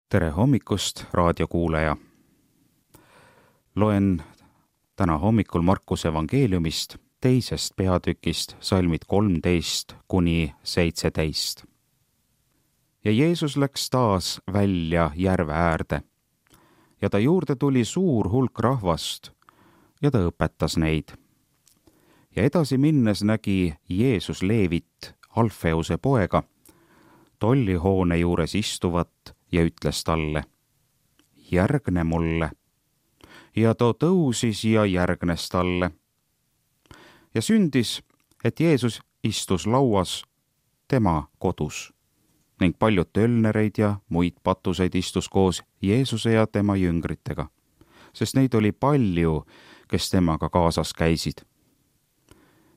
Tere hommikust, raadiokuulaja! Loen täna hommikul Markuse evangeeliumist 2. peatükist salmid 13–17. Ja Jeesus läks taas välja järve äärde ja ta juurde tuli suur hulk rahvast ja ta õpetas neid. Ja edasi minnes nägi Jeesus Leevit, Alfeuse poega, tollihoone juures istuvat ja ütles talle: järgne mulle. Ja too tõusis ja järgnes talle. Ja sündis, et Jeesus istus lauas tema kodus ning paljud tölnereid ja muid patuseid istus koos Jeesuse ja tema jüngritega, sest neid oli palju, kes temaga kaasas käisid.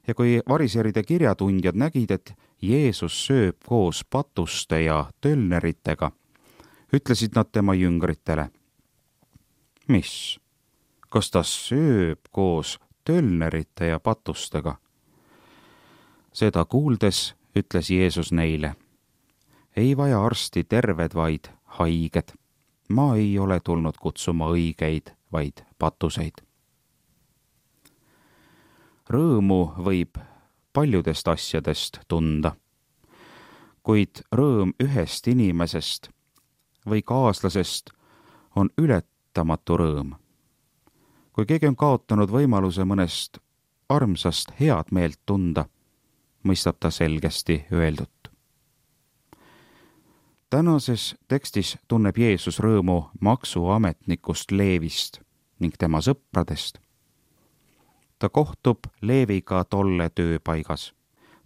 Ja kui variseride kirjatundjad nägid, et Jeesus sööb koos patuste ja tölneritega, ütlesid nad tema jüngritele: mis? Kas ta sööb koos tölnerite ja patustega? Seda kuuldes ütles Jeesus neile: ei vaja arsti terved, vaid haiged. Ma ei ole tulnud kutsuma õigeid, vaid patuseid. Rõõmu võib paljudest asjadest tunda, kuid rõõm ühest inimesest või kaaslasest on ületamatu rõõm. Kui keegi on kaotanud võimaluse mõnest armsast head meelt tunda, mõistab ta selgesti öeldut. Tänases tekstis tunneb Jeesus rõõmu maksuametnikust Leevist ning tema sõpradest. Ta kohtub Leeviga tolle tööpaigas,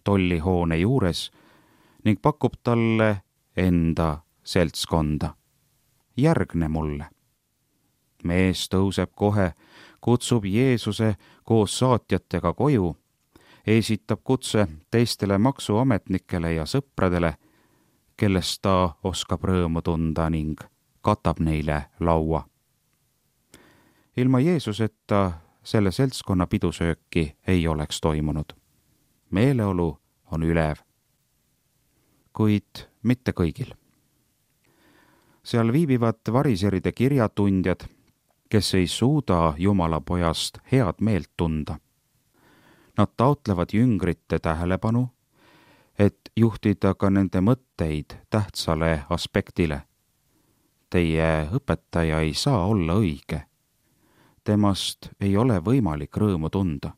tollihoone juures ning pakub talle enda seltskonda: järgne mulle. Mees tõuseb kohe, kutsub Jeesuse koos saatjatega koju, esitab kutse teistele maksuametnikele ja sõpradele, kellest ta oskab rõõmu tunda ning katab neile laua. Ilma Jeesuseta selle seltskonna pidusööki ei oleks toimunud. Meeleolu on ülev, kuid mitte kõigil. Seal viibivad variseride kirjatundjad, kes ei suuda Jumala pojast head meelt tunda. Nad taotlevad jüngrite tähelepanu, et juhtida ka nende mõtteid tähtsale aspektile. Teie õpetaja ei saa olla õige. Temast ei ole võimalik rõõmu tunda.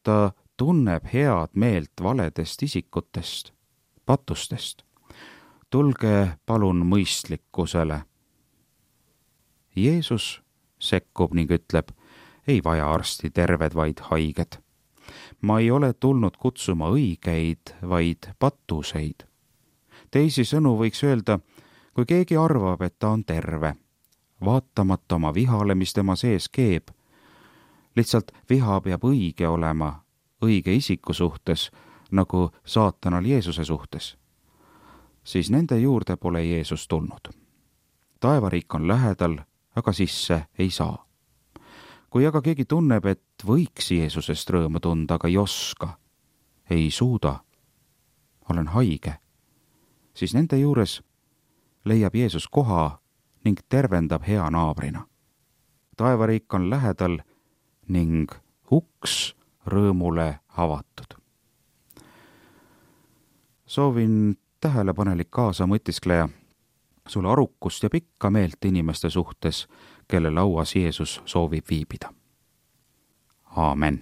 Ta tunneb head meelt valedest isikutest, patustest. Tulge palun mõistlikkusele. Jeesus sekkub ning ütleb: ei vaja arsti terved, vaid haiged. Ma ei ole tulnud kutsuma õigeid, vaid patuseid. Teisisõnu võiks öelda, kui keegi arvab, et ta on terve, vaatamata oma vihale, mis tema sees keeb. Lihtsalt viha peab õige olema, õige isiku suhtes, nagu saatanal Jeesuse suhtes. Siis nende juurde pole Jeesus tulnud. Taevariik on lähedal, aga sisse ei saa. Kui aga keegi tunneb, et võiks Jeesusest rõõmu tunda, aga ei oska, ei suuda, olen haige, siis nende juures leiab Jeesus koha ning tervendab hea naabrina. Taevariik on lähedal ning uks rõõmule avatud. Soovin tähelepanelik kaasa mõtiskleja sulle arukust ja pikka meelt inimeste suhtes, kelle lauas Jeesus soovib viibida. Aamen.